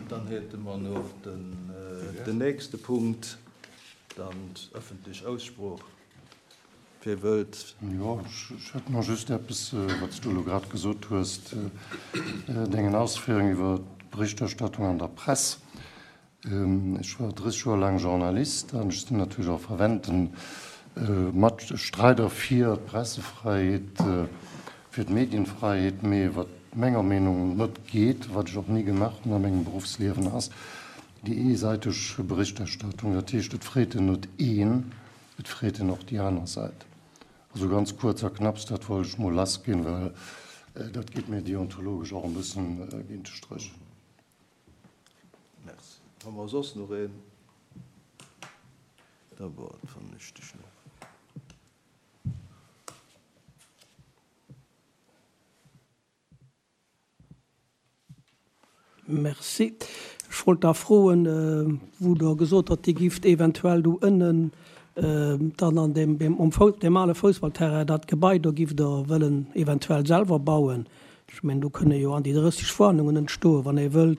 Dann hätte mer nach den nächste Punkt, dann d'öffentlech Aussprooch. Wie wëllt? Jo, ech hätt nach just eppes, wat s du elo grad gesot hues, dengen Ausféierungen iwwer d'Berichterstattung an der Press. Ech war 30 Joer laang Journalist an ech sinn natierlech och ferventen Matstreider fir d'Pressefräiheet, fir d'Medienfreiheet. Mee wat menger Meenung net geet, wat ech och ni gemaach hunn a mengem Beruffsliewen, ass déi eesäiteg Berichterstattung. Dat heescht, et freet en net een, et freet en och déi aner Säit. Also ganz kuerz a knapps, dat wollt ech mol lassginn, well dat geet mir deontologesch och e bëssen géint de Stréch. Merci. Hu mer soss nach een? Da fannen ech dech nach. Merci. Ech wollt da froen, wou Der gesot hutt, Dir gifft eventuell do ënnen dann an deem, um deem ale Foussballterrain dat Gebai do gifft Der wëllen eventuell selwer bauen. Ech mengen, do kënne jo an déi 30 Wohnungen entstoen, wann ee wëllt.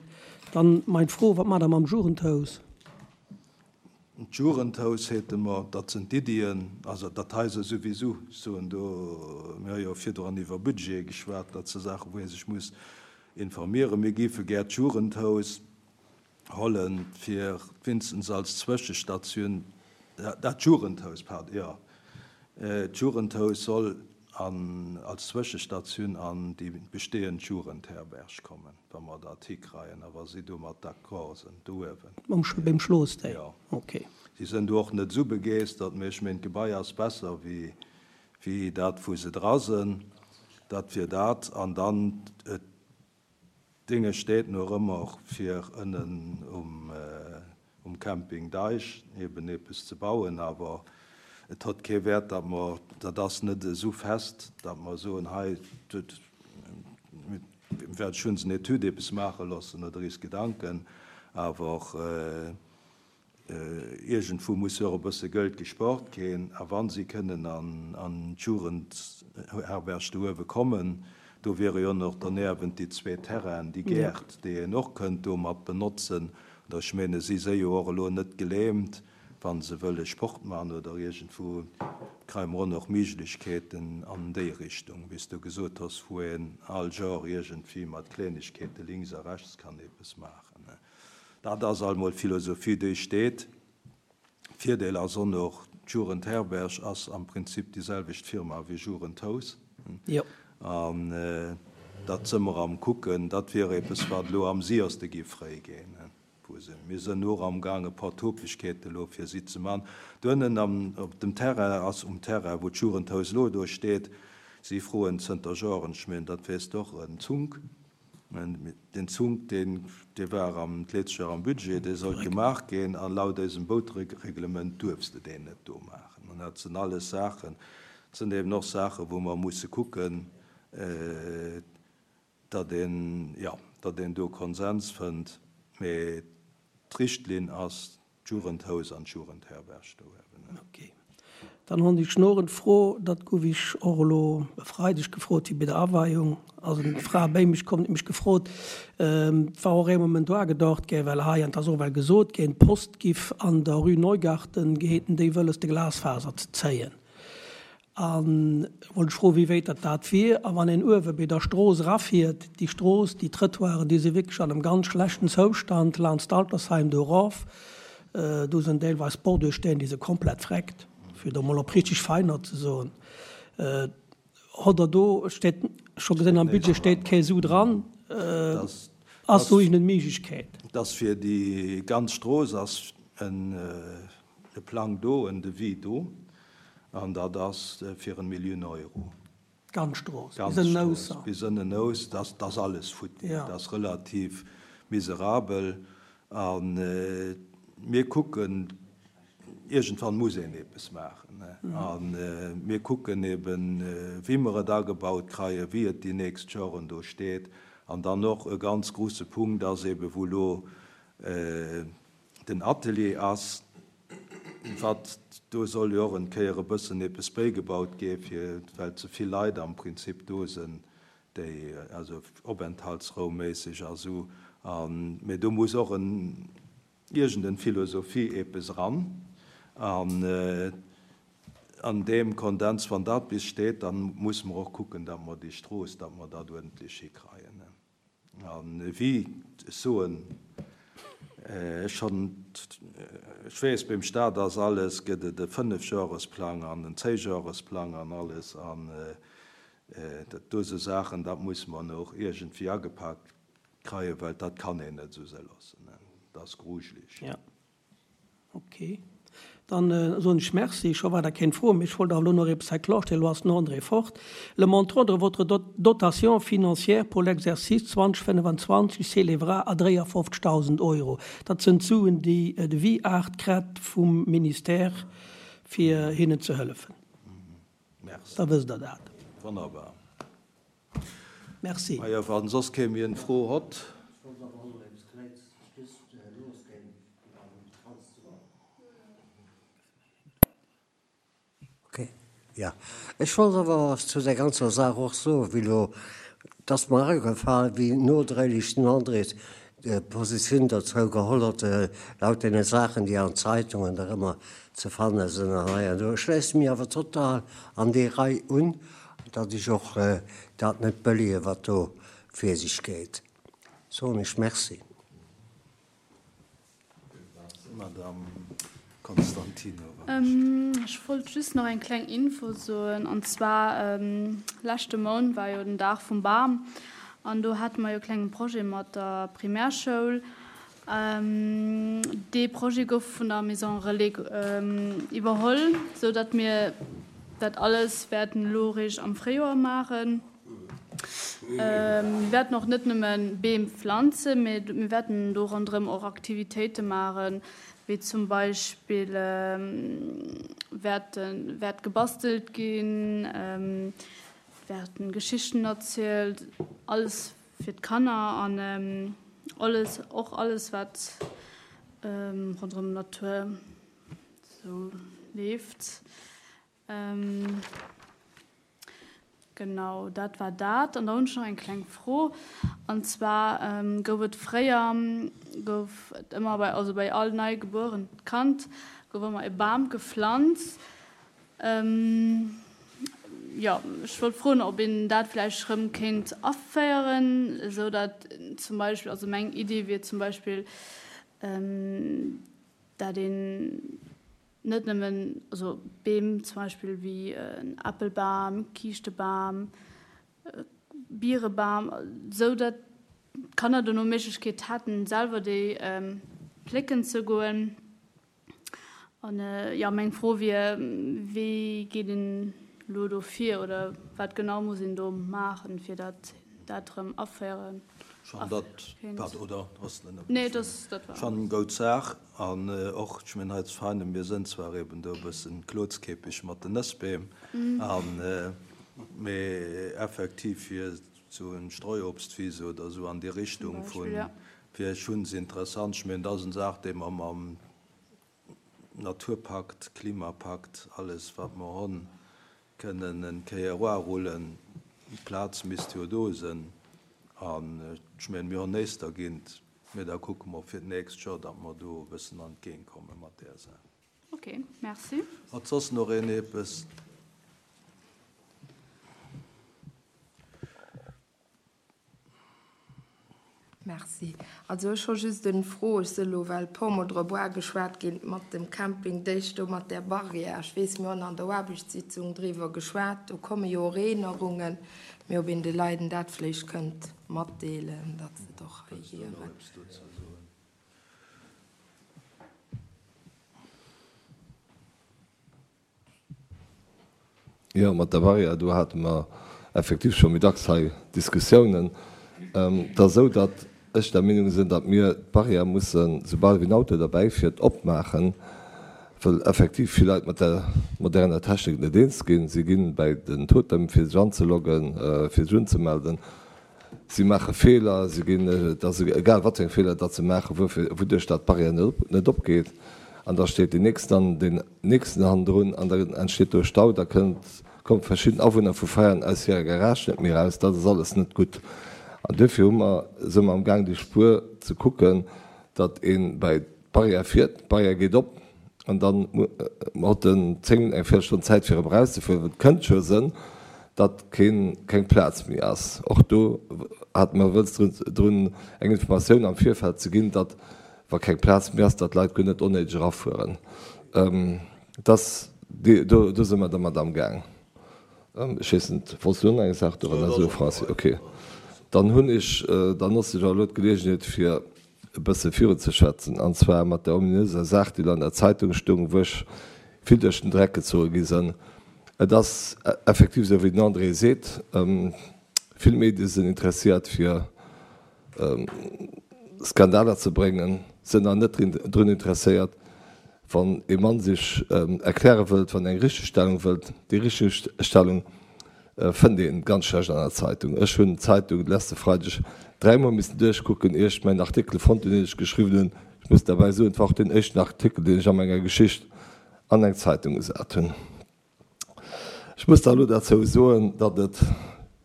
Dann mein Fro, Wat maacht Der mam Jugendhaus? D'Jugendhaus hate mer, dat sinn d'Iddien, also dat hei se souwisou, ech soen do, mir hu jo virdrun iwwer Budgete geschwat, dat si Saachen, wou ee sech muss informieren. Mir géife gär d'Jugendhaus hollen, fir wéinstens als Zwëschestatioun, dat Jugendhaus, pardon, jo, d'Jugendhaus soll an als Zwëschestatioun an déi bestehend Jugendherberg kommen, wa mer dat hikreien a wa si domat d'accord sinn do uewen. Mam beim Schloss dei? Jo. Ok. Si sinn do och net esou begeestert, mee ech meen d'Gebai ass besser wéi wéi dat wou se dra sinn. Dat wier dat. An dann D'Dinge steet no ëmmer fir ënnen um Camping Deich eben eppes ze bauen, awer et hott kee Wäert, datt mer, dat ass net esou fest, datt mer soen, hei, mir wäerte schonns en Etüd eppes maache loossen oder eis Gedanken, awer Iergendwou muss jo och e bësse Gëld gesport ginn. A wa si kënnen an d'Jugendherberg do uewe kommen, do wiere jo och derniewent déi zwee Terrainen, déi Gäert, déi een och kënnt do mat benotzen. Oder ech menge si si jo och elo net gelähmt, wa se wëlle Sport maachen oder iergendwou kréie mer och nach Méiglechkeeten an déi Richtung, wéi s du gesot hues, wou een all Genre iergendwéi mat Klengegkeete links a rechts kann eppes maachen. Dat ass alt mol d'Philosophie, déi steet. Virdeel ass och nach, d'Jugendherberg ass am Prinzip déi selwecht Firma wéi Jugendhaus. An dat së mer am kucken. Dat wier eppes, wat elo am siierste géif fréi ginn. Wou se, mir sënn och amgaang e paar Topegkeete elo fir si ze man. Doënnen am, op dem Terrain ass, um Terrain wou d'Jugendhaus elo do steet, si froen zënter Joren, ech mengen dat weess de och, en Zunk. Den Zunk, deen, dee war am, d'letzcht Joer am Budget, dee sollt gemaach ginn, a laut eisem Boutreglement duerfs de deen net do maachen. An dat sinn alles Saachen, dat sinn eben och Saachen, wou mer musse kucken, datt een, jo, datt een do Konsens fënnt. Mee d'Richtlinn ass, D'Jugendhaus an d'Jugendherberg do eben. Ok. Dann hunn ech nach en Fro, dat guff ech och elo e Freideg gefrot wéi bei der Aweiung ass en Fra béi mech komm, huet mech gefrot, et war och ee Moment do agedacht gär, well hei, an et ass och well gesot ginn, d'Post giff an der Rue Neugarten geheeten, déi wëlles de Glasfaser ze zéien. A wollt ech froen, wéi wéit datt dat wier. A wann een uewe béi der Strooss erafiert, déi Strooss, déi Trëttoiren, déi si wierklech an engem ganz schlechten Zoustand, laanscht d'Altersheim do erof, do sinn deelweis Bordursteng, déi si komplett vreckt, fir et emol op richtig feiner ze soen. Hott Der do, steet, ech hu gesinn am Budget steet kee Su dran, ass do iergendeng Méiglechkeet? Dass fir déi ganz Strooss ass e Plang do, en Devis do. An dat ass fir en Millioun Euro. D'ganz Strooss, bis ënnen Ousser. Bis ënnen Ous, dat ass alles futti. Dat ass relativ miserabel. A mir kucken, iergendwann muss een eppes maachen. A mir kucken eben, wéi mer et agebaut kreien, wéi et déi nächst Joren do steet. An dann och e ganz grouse Punkt ass eben, wou elo den Atelier ass, wat, do soll jo och en Kéier e bëssen eppes béigebaut gi fir, well ze vill Leit am Prinzip do sinn, déi, also openthaltsraumméisseg a sou. An, mee do muss och en, iergend en Philosophie eepes eran. An an deem Kondens, wann dat bis steet, dann musse mer och kucken, datt mer déi Strooss, datt mer dat uerdentlech hikreien. An wéi ech soen, ech schonn, ech weess, beim Staat ass alles, gëtt et e Fënnefjoeresplang an en Zéijoeresplang an alles. An dat do sou Saachen, dat muss mer och iergendwéi agepak kreien, well dat kann een net esou se loossen. Dat ass grujeleg. Ok, dann soen ech Merci. Scho war der keng Fro méi. Ech wollt awer elo nach eppes hei klarstellen. Elo ass den André fort. Le montant de votre dotation financière pour l'exercice 2025 s'élèvera à 53.000 Euro. Dat sënn d'Suen, déi de Viart krett vum Ministère, fir hinnen ze hëllefen. Merci. Da wësst Der dat. Wonnerbar. Merci. Majo, wann soss kee méi en Fro hott. Ech wollt awer och nach eppes Klengs just losginn falls du. Ok, jo. Ech wollt awer zu där ganzer Saach och soen, wéi elo, et ass mer agefal, wéi nodréiglech den André Positioun dozou geholl huet, laut deene Saachen, déi an Zeitungen nach ëmmer ze fanne sinn an hei an do. Ech schléisse mech awer total an déi Rei un, datt ech och dat net bëllege wat do vir sech geet. Soen ech Merci. Madame Constantinova. Ech wollt just nach eng kleng Info soen, an zwar leschte Mount war jo den Dag vum Bam an do hate mer jo e klenge Projet mat der Primärschoul. Dee Projet gouf vun der Maison Relais iwwerholl, sou datt mir dat alles wäerten elo eréischt am Fréijoer maachen. Mir wäerten och net nëmme Beem pflanzen, mee mir wäerten do ronderëm och Aktivitéite maachen, wéi zum Beispill wäerte wäert gebastelt ginn, wäerten Geschichten erzielt, alles fir d'Kanner an alles och alles wat ronderëm d'Natur sou leeft. Genau, dat war dat. An da hunn ech nach eng kleng Fro. An zwar gouf et fréier, gouf et ëmmer bei, also bei all nei gebuerent Kand gouf ëmmer e Bam geflanzt. Jo, ech wollt froen, ob een dat vläicht erëm kéint aféieren, esou datt zum Beispill, also meng Iddi wier zum Beispill, dat een Net nëmmen, also Beem zum Beispill wéi en Äppelbam, Kiischtebam, Bierebam, esou datt d'Kanner dono Méiglechkeet hätten, selwer déi plécken ze goen. An jo, meng Fro wier, wéi geet een elo do vir oder wat genau muss een do maachen, fir datt dat erëm aféieren? Schonn dat, pardon, oder ass net nëmmen Nee, dat, dat war. Schonn eng goud Saach. An och, ech mengen, hei zu Veinen, mir sënn zwar eben do e bëssen klozkeepeg mat den Nëssbeem, an, mee effektiv fir esou en Streuobstwiese oder esou an déi Richtung vun, wier schonns interessant. Ech mengen, dat ass en Saach, déi mer mam Naturpakt, Klimapakt, alles wat mer honn, kënnen en Kéier eroarullen. D'Plaz misst jo do sënn. An ech mengen, mir honn néist dergint, mee da kucke mer fir d'nächst Joer, datt mer do e bëssen an d'Géint komme mat där Saach. Ok, merci. Hat soss nach een eppes? Merci. Also ech hu just en Fro, ech se elo well e puer mol drop uageschwat ginn, mat dem Camping Deich do mat där Barrière. Ech weess, mir hunn an der Aarbechtssitzung driwwer geschwat, do komme jo och Eenerungen, mee ob een de Leiden dat vléicht kënnt matdeelen, datt se et och hei hieren. Jo, mat der Barrière, do hate mer effektiv scho méi dacks hei Diskussiounen. Et ass esou, datt ech der Meenung sinn, datt mir d'Barrière mussen, soubal wéi en Auto derbäi fiert, opmaachen, wëll effektiv vill Leit mat der moderner Technik net eens ginn. Si ginn bäi den Totem, fir sech anzeloggen, fir sech unzemelden. Si maache Feeler, si ginn, et ass egal wat fir eng Feeler datt se maachen, wuerfir, wouduerch datt d'Barrière net opgeet. An da steet deen nächsten an deen nächsten hannendrun an da entsteet do e Stau. Da kënnt, kommen verschidden Awunner vu Veianen aus hirer Garage net méi eraus. Dat ass alles net gutt. An duerfir hu mer, si mer amgaang déi Spuer ze kucken, datt ee bäi d'Barrière fiert, d'Barrière geet op an dann huet en 10 Minutten, eng Véierelstonn Zäit fir erëm erauszefueren, well et kënnt scho sënn, datt keen, keng Plaz méi ass. Och do hate mer wëlls drun eng Informatioun am Virfeld ze ginn, datt wa keng Plaz méi ass, datt d'Leit guer net onnéideg erafueren. Dass, do, do si mer dermat amgaang. Ech weess net, wollts du och nach eng Saach dorënner soen, Franci? Okay. Dann hunn ech, dann notze ech awer elo d'Geleegenheet fir e bësse virunzeschwätzen, an zwar mat der ominöser Saach, déi elo an der Zeitung stoung, wou ech vill duerch den Dreck gezoge gi sënn. Et ass effektiv esou, wéi den André seet, vill Medie sinn interessiert fir Skandaler ze bréngen, sinn awer net drun interesséiert, wann ee Mann sech erkläre wëllt, wann en eng Richtegstellung wëllt. Déi Richtegstellung fënnt ee ganz schlecht an der Zeitung. Ech hunn d'Zeitung de leschte Freideg dräimol missen duerchkucken, ier ech mäin Artikel fonnt hunn, deen ech geschriwwen hunn. Ech muss derbäi soen, et war och deen éischten Artikel, deen ech a menger Geschicht an eng Zeitung gesat hunn. Ech muss da elo derzou soen, datt et,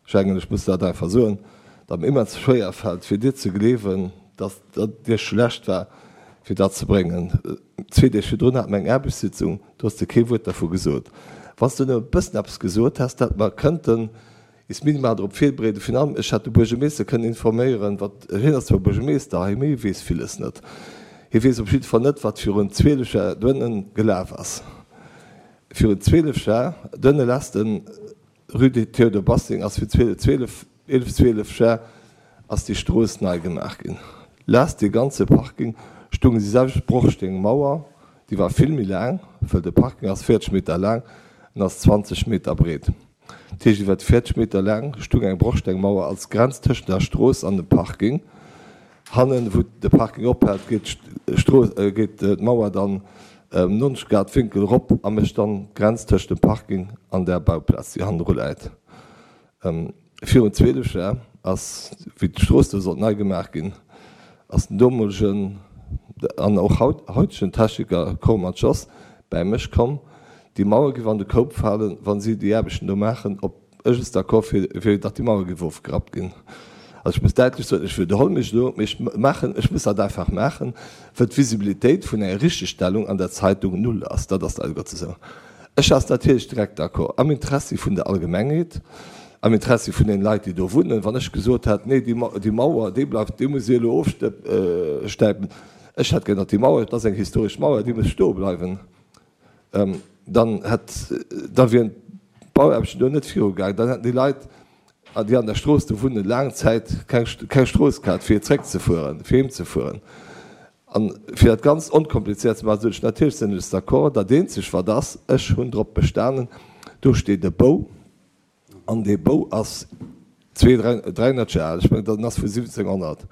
ech mengen, ech muss dat einfach soen, datt mir immens schwéier fält, fir dir ze gleewen, datt dat dir schlecht war, fir dat ze bréngen. Zwee Deeg virdrun hate mer eng Aarbechtssitzung, do hues de kee Wuert dervu gesot. Wann s de nëmme e bëssen eppes gesot häss, da hätte mer kënnten is minimal drop virbereeden. Virun allem, ech hätt de Buergermeeschter kënnen informéieren, wat, hien ass zwar Buergermeeschter hei, mee hie weess villes net. Hie weess op jidde Fall net, wat virun 12 Jar doënnen gelaf ass. Virun 12 Jar, doënne lässt den Rue de Théodore Bassing ass virun 12, 11, 12 Jar ass déi Strooss nei gemaach ginn. Lässt dee ganze Parking stoung déi selwecht Brochstengmauer, déi war vill méi laang, wëll de Parking ass 40 Meter laang, en ass 20 Meter breet. Dat heescht iwwer 40 Meter laang stung eng Brochstengmauer als Grenz tëschent der Strooss an dem Parking. Hannen, wou de Parking ophält, geet d'Strooss, geet d'Mauer dann ëm 90 Grad Winkel erop a mécht dann d'Grenz tëschent dem Parking an der Bauplaz, déi hannendru läit. Virun 12 Jar ass, wéi d'Strooss do sollt nei gemaach ginn, ass den domolegen an och hautegen Techniker Corman Joss bäi mech komm. Déi Mauer giff an de Koup falen, wa si déi Aarbechten do maachen, ob ech es d'accord wier, datt déi Mauer giff ofgerappt ginn. Also ech muss däitlech soen, ech widderholl mech elo, mee ech maachen, ech muss dat einfach maachen, wëll d'Visibilitéit vun enger Richtegstellung an der Zeitung null ass. Dat ass leider Gottes esou. Ech ass natierlech direkt d'accord, am Interessi vun der Allgemengheet, am Interessi vun den Leit, déi do wunnen, wann ech gesot hätt, nee, déi Mauer, déi bleift, déi musst Dir elo ofstäipen, ech hätt gär, datt déi Mauer, et ass eng historesch Mauer, déi muss stoe bleiwen, dann hätt, da wieren d'Bauaarbechten do net virugaangen, dann hätten déi Leit, déi an der Strooss do wunnen, laang Zäit keng Strooss gehat, fir zréckzefueren, fir heemzefueren. An fir dat Ganzt onkomplizéiert ze maachen, sot ech, Natierlech sinn ech d'accord. Dat eenzegt wat ass, ech hunn drop bestanen, do steet e Bou, an dee Bou ass 200, 300 Joer al, ech mengen, en ass vu 1700.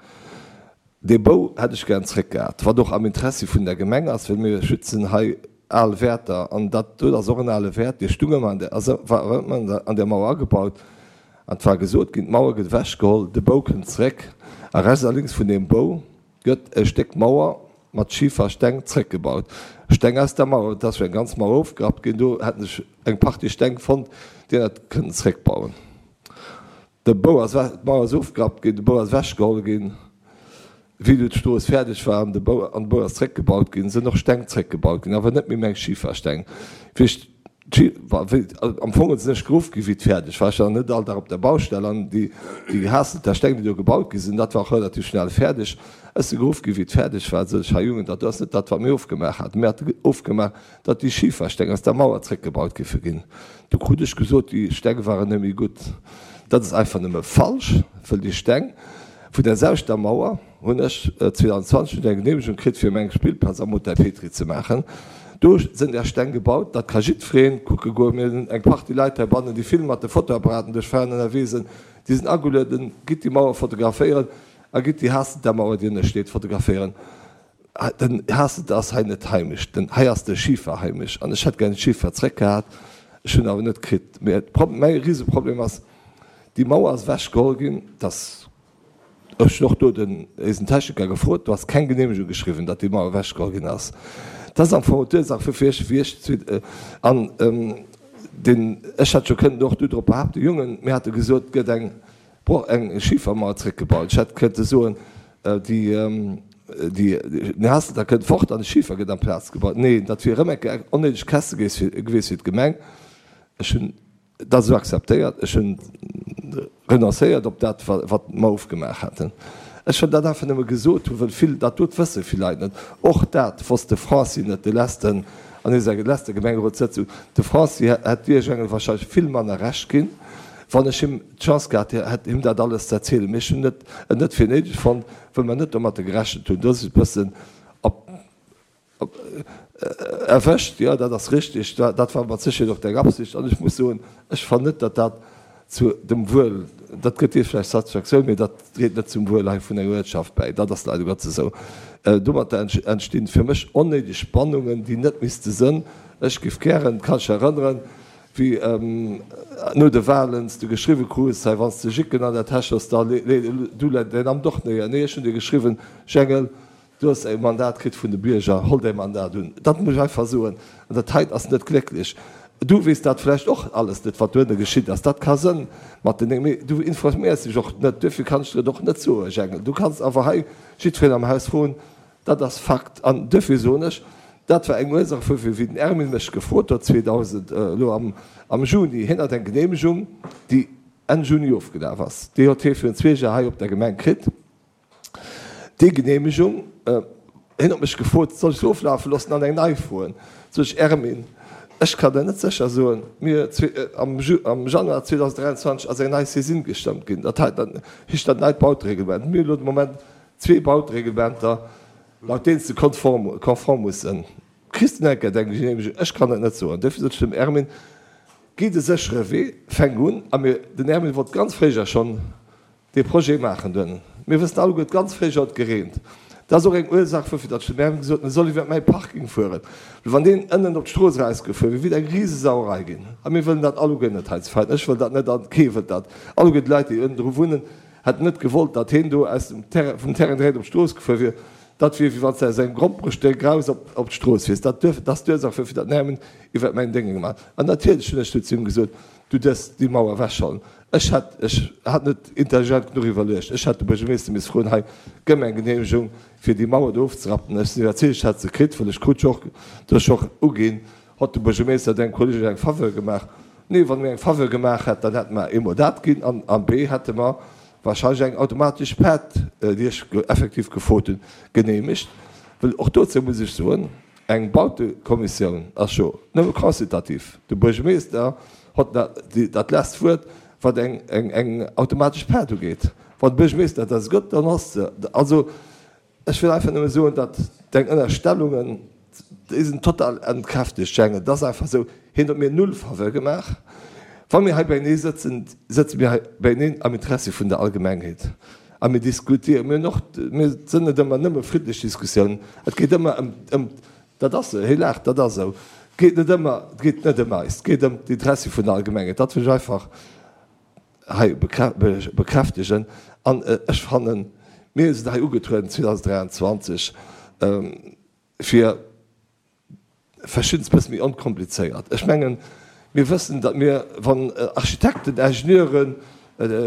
Dee Bou hätt ech gären zréckgehat, wat och am Interessi vun der Gemeng ass, well mir schützen hei al Wäerter, an dat do ass och en ale Wäert, dee stung ëmmer an där, ass war ëmmer an där Mauer agebaut. An et war gesot ginn, d'Mauer gëtt ewechgeholl, de Bou kënnt zréck, a rechts a lénks vun deem Bou Gëtt e Stéck Mauer mat Schifersteng zréckgebaut. Steng aus der Mauer, et ass jo eng ganz Mauer ofgerappt ginn, do hätten sech eng Partie Steng fonnt, déi een hätt kënnen zréckbauen. De Bou ass, d'Mauer ass ofgerappt ginn, de Bou ass ewechgeholl ginn. Wéi du d'Strooss fäerdeg war an de Bou, an de Bou ass zréckgebaut ginn, sinn och Steng zréckgebaut ginn, awer net méi meng Schifersteng. Wéi ech Am Fong sinn ech geruff gi wéi et fäerdeg war. Ech war net all Dag op der Baustell an déi gehasselter Steng, déi do gebaut gi sinn, dat war och relativ schnell fäerdeg. Ech si geruff gi wéi et fäerdeg war, sot ech, Här Jungen, dat do ass net dat, wat mir ofgemaach haten. Mir hate ofgemaach, datt déi Schifersteng aus der Mauer zréckgebaut géife ginn. Du krut ech gesot, déi Steng waren net méi gutt. Dat ass einfach nëmme falsch, wëll déi Steng vun der selwechter Mauer, hunn ech 2020 hunn ech eng Geneemegung kritt fir meng Spillplaz am Hotel Petry ze maachen. Do sënn där Steng gebaut, dat ka jiddwereen kucke goen. Mir hunn eng Partie Leit heibannen, déi vill mat de Fotoapparaten duerch Fahren ënnerwee sënn, déi sinn agelueden, gitt déi Mauer fotograféieren a gitt déi Haasselter Mauer, déi ënne steet, fotograféieren. Den Haasselter ass hei net heimesch, den hei ass de Schifer heimesch an ech hätt gär den Schifer zréckgehat, ech hunn awer net kritt. Mä mäi Riseproblem ass, déi Mauer ass ewechgeholl ginn, dass Ech hunn och do den éisen Techniker gefrot, do ass keng Geneemegung geschriwwen, datt déi Mauer ewechgeholl ginn ass. Dat ass am Fong d'Ursaach fir fir ech, wéi ech an deen, ech hätt jo kënnen och do drop behaapten, Jongen, mir hate gesot, et gëtt eng. Broch, eng Schifermauer zréckgebaut. Ech hätt kënnte soen, déi, déi, den Haasselter kënnt fort an de Schifer gëtt amplaz gebaut. Neen, dat wier erëm eng Kéier eng onnéideg Käste gewiescht fir d'Gemeng. Ech hunn dat esou akzeptéiert. Ech hunn renoncéiert op dat, wat mer ofgemaach haten. Ech wëll dat einfach nëmme gesot hunn, wëll vill, dat dot wësse vill Leit net. Och dat wosst de Franci net, de letzten, an eiser letzter Gemengerotssëtzung. De Franci hätt dir, Jengel, wahrscheinlech vill manner Recht ginn, wann ech him d'Chance gehat hätt, him dat alles ze erzielen. Mee ech hunn et net fir néideg fonnt, wëll mer net domatter gerechent hunn. Do ass et e bëssen op. Erwëscht, jo, dat ass richtig. Dat war mat Sécherheet och deng Absicht. An ech muss soen, ech fannen net, datt dat zu dem Wuel, dat gëtt dir vläicht Satisfaktioun, mee dat dréit net zum Wuel hei vun enger Uertschaft bäi. Dat ass leider Gottes esou. Domatter entstinn fir mech onnéideg Spannungen, déi net misste sënn. Ech géif gären, kann ech erënneren, wéi no de Wahlen s du geschriwwe krus, hei wann s de Jicken an der Täsch hues, da lee du däin Amt och néier. Nee, ech hunn dir geschriwwen, Jengel, Du hues e Mandat kritt vun de Bierger, holl däi Mandat un. Dat muss ech einfach soen. An dat heit ass net glécklech. Du weess dat vläicht och alles net, wat dohinner geschitt ass. Dat ka sënn mat den, mee du informéiers dech och net. Duerfir kann ech der et och net soen, Jengel. Du kanns awer hei jiddwereen am Haus froen. Dat ass Fakt. An duerfir soen ech, dat war eng Ursaach wuerfir, wéi den Ermin mech gefrot huet 2000, elo am Juni, hien hat eng Geneemegung, déi Enn Juni ofgelaf ass. Déi huet hie virun zwee Jar hei op der Gemeng kritt. Déi Genehmegung, hien huet mech gefrot, soll ech se oflafe loossen an eng nei froen? Sot ech, Ermin, ech kann der net sécher soen, mir am Januar 2023 ass eng nei Saisine gestëmmt ginn, dat heescht dat neit Bautereglement. Mir hunn elo de Moment zwee Bautereglementer, laut deenen s de konform muss sinn. Kriss de enker deng Genehmegung? Ech kann et net soen. Duerfir sot ech dem Ermin, Géi de séchere Wee, fänk un. A mir, den Ermin wollt ganz fréijer schonn Dee Projet maachen dunn. Mir wëssen alleguer, d'ganz Fréijoer huet gereent. Dat ass och eng Ursaach wuerfir datt ech dem Erwin gesot hunn, e soll iwwert mäi Parking fueren. Well wann deen ënnen op d'Strooss erausgefuer wier, wier et eng Risesauerei ginn. A mir wëllen dat alleguer net hei zu Veiten. Ech wëll dat net a kee wëllt dat. Alleguer déi Leit, déi ënnendru wunnen, hätten net gewollt, datt heen do aus dem Terrain, vum Terrain direkt op d'Strooss gefuer wier. Dat wier, wéi wann s de aus engem Gromperestéck eraus op d'Strooss fiers. Dat duerf, dat ass d'Ursaach wuerfir datt den Erwin iwwert mäin Dénge gemaach huet. An natierlech hunn ech du zu him gesot, Du dierfs déi Mauer ewechhollen. Ech hätt, ech hat net intelligent genuch iwwerluecht, ech hätt de Buergermeeschter misst froen, hei, gëmm eng Genehmegung, fir déi Mauer do ofzerappen. Ech sinn iwwerzeegt, ech hätt se kritt, well ech krut jo och, du hues jo och uginn, hott de Buergermeeschter dengem Kolleg eng Faveur gemaach. Nee, wann e mir eng Faveur gemaach hätt, dann hätte mer eemol dat ginn an an b hätte mer wahrscheinlech eng automatesch Paart, déi ech effektiv gefrot hunn, genehmegt. Well och dozou muss ech soen, Eng Bautekommissioun ass jo nëmme consultativ. De Buergermeester hott dat lesst Wuert, wat eng automatesch Paart ugeet. Wann de Buergermeester dat gëtt, dann ass se. Also, ech wëll einfach nëmme soen, datt deng Ënnerstellungen, déi sinn total entkräftegt, Jang. Et ass einfach esou, hien huet mir null Faveur gemaach. Wa mir hei beienee sëtzen, sëtze mir hei beieneen am Interessi vun der Allgemengheet. A mir diskutieren, mir hunn och, mir sinn net ëmmer nëmme friddlech Diskussiounen, et geet ëmmer ëm, ëm, dat ass esou, hie laacht, dat ass esou, et geet net ëmmer, et geet net ëm eis, et geet ëm d'Interessi vun der Allgemengheet. Dat wëll ech einfach hei bekräftegen. An ech fannen, mir sinn hei ugetrueden 2023 fir, Verschiddenes bësse méi onkomplizéiert. Ech mengen, mir wëssen, datt mir, wann Architekten, Ingenieuren,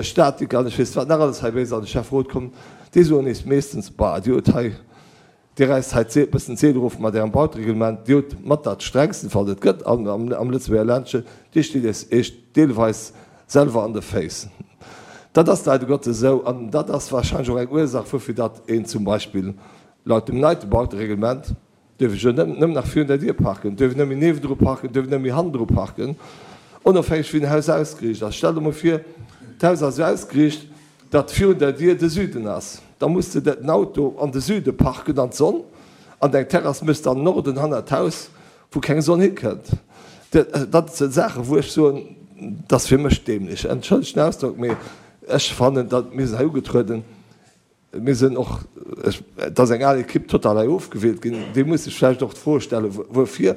Statiker an ech weess wat nach alles hei bei eis an de Schäfferot kommen, déi soen eis meeschtens, Bah, Dir hutt hei, Dir räisst hei e bëssen d'Zeel erof mat Ärem Bautereglement, Dir hutt mat dat strengsten, wat et gëtt am Lëtzebuerger Ländchen, Dir steet eis Iech deelweis selwer an de Féiss. Dat ass leider Gottes esou an dat ass wahrscheinlech och eng Ursach, woufir datt een zum Beispill laut dem neite Bautereglement, Duerf ech jo net nëmmen nach virun der Dier parken, duerf ech net méi niewendru parken, duerf ech net méi hannendru parken, onofhängeg wéi den Haus ausgeriicht ass. Stell der mol vir, d'Haus ass esou ausgeriicht, datt virun der Dier de Süden ass. Da muss de den Auto an de Süde parken, an d'Sonn, an deng Terrass méchs de an den Norden hannert d'Haus, wou keng Sonn hikënnt. Dat si Saachen, wou ech soen, dat ass fir mech dämlech. Entschëllegt den Ausdrock, mee ech fannen, datt mir sinn hei ugetrueden, Mir sinn och, et ass eng al Ekipp total hei ofgewielt ginn, déi muss sech vläicht och d'Fro stellen, wuerfir.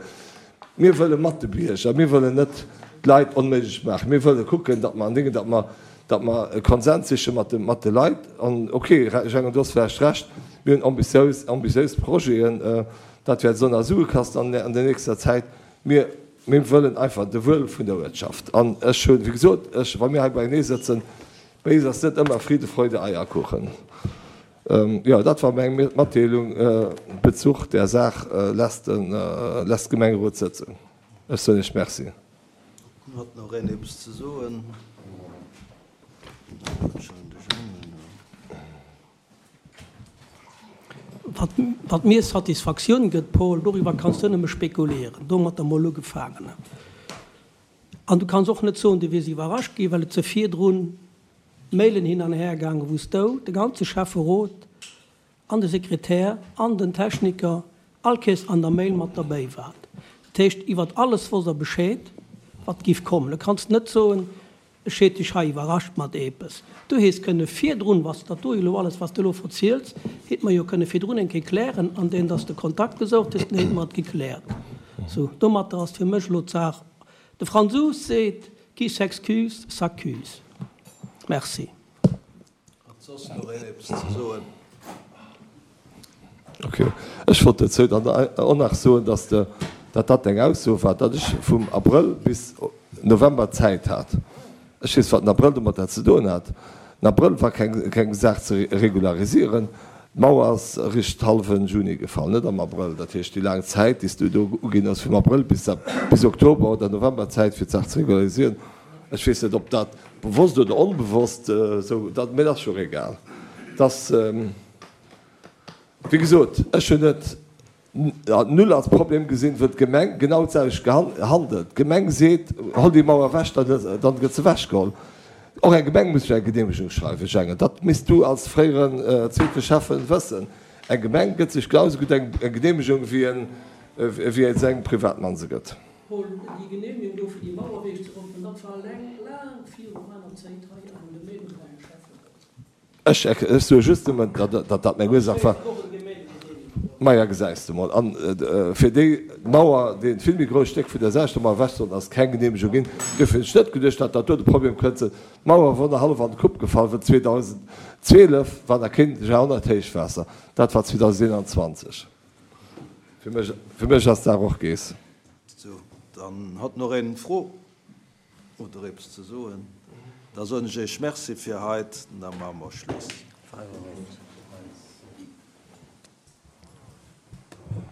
Mir wëlle mat de Bierger, mir wëllen net d'Leit onméiglech maachen. Mir wëlle kucken, datt mer an Dingen, datt mer, datt mer e Konsens siche mat de, mat de Leit. An okay, Jeannot, du hues vläicht Recht, mir hunn ambitiös, ambitiös Projeten, dat wäert esou nach Sue kasten an, an der nächster Zäit. Mir, mir wëllen einfach de Wuel vun der Uertschaft. An ech hunn, wéi gesot, ech, wa mir hei beienee sëtzen,. Bei eis ass net ëmmer Friede, Freude, Eierkuchen. Jo, dat war meng Matdeelung Bezuch där Saach lässt de Gemengerot sëtzen. Ech soen Iech Merci. Huet nach een eppes ze soen? Wat mir Satisfaktioun gëtt, Paul, doriwwer kanns du nëmme spekulieren. Domatter mol ugefaangen. An du kanns och net soen, du wiers iwwerrascht ginn, well et se virdrun Mailen hin an her gaangen, wou s du, de ganze Schäfferot an de Sekretär an den Techniker all Kees an der Mail mat derbäi waart. Dat heescht, iwwert alles wosst der Bescheed, wat giff kommen. Du kanns net soen, Ech heet dech hei iwwerrascht mat eepes. Du hees kënne virdrun, was dat do elo alles, was de elo verziels, heet mer jo kënne virdrun eng Kéier klären, an deem dass de Kontakt gesoucht hues, dann heet mer et gekläert. Sou, domatter ass fir mech elo d'Saach, de Fransous seet, qui s'excuse, s'accuse. Merci. Hat soss nach een eppes ze soen? Ok. Ech wollt dozou dann och nach soen, dass de, dat dat eng Ausso war, datt ech vum Abrëll bis November Zäit hat. Ech weess, wat den Abrëll domatter ze doen hat. Den Abrëll war keng, keng Saach ze regularisieren. D'Mauer ass eréischt hallwe Juni gefall, net am Abrëll. Dat heescht, déi laang Zäit, déi s du do uginn hues, vum Abrëll bis, bis Oktober oder November Zäit fir d'Saach ze regularisieren, Ech weess net, ob dat bewosst oder onbewosst esou, dat, mee dat ass jo och egal. Dass, wéi gesot, ech hunn et null als Problem gesinn, wëll d'Gemeng genau d'selwecht handelt. D'Gemeng seet, Holl déi Mauer ewech, dann gëtt se ewechgeholl. Och eng Gemeng muss sech eng Geneemegung schreiwen, Jängen. Dat misst du als fréieren zweete Schäffen wëssen. Eng Gemeng gëtt sech genau esou gutt eng Geneemegung, wéi se engem Privatmann se gëtt. Paul, déi Genehmigung do fir déi Mauer ewech ze rupfen, dat war laang, laang viru meiner Zéit hei an dem Gemengerot am Schäfferot. Ech, ech soe just nëmmen, datt dat meng Ursaach war. Maja, gesäis de mol. An fir déi Mauer, dee vill méi grousst Stéck vun der selwechter Mauer ewech sollt, ass keng Genehmegung ginn. Duerfir hunn ech net geduecht, datt dat do de Problem kënnt sinn. D'Mauer wor nach hallef an de Kupp gefall, wëll 2012 war nach keen Jahrhonnerthéichwaasser. Dat war 2021. Fir mech, fir mech ass d'Saach och gees. Sou, dann hat nach een Fro oder eppes ze soen. Da soen ech Iech Merci fir heit, da maache mer Schluss.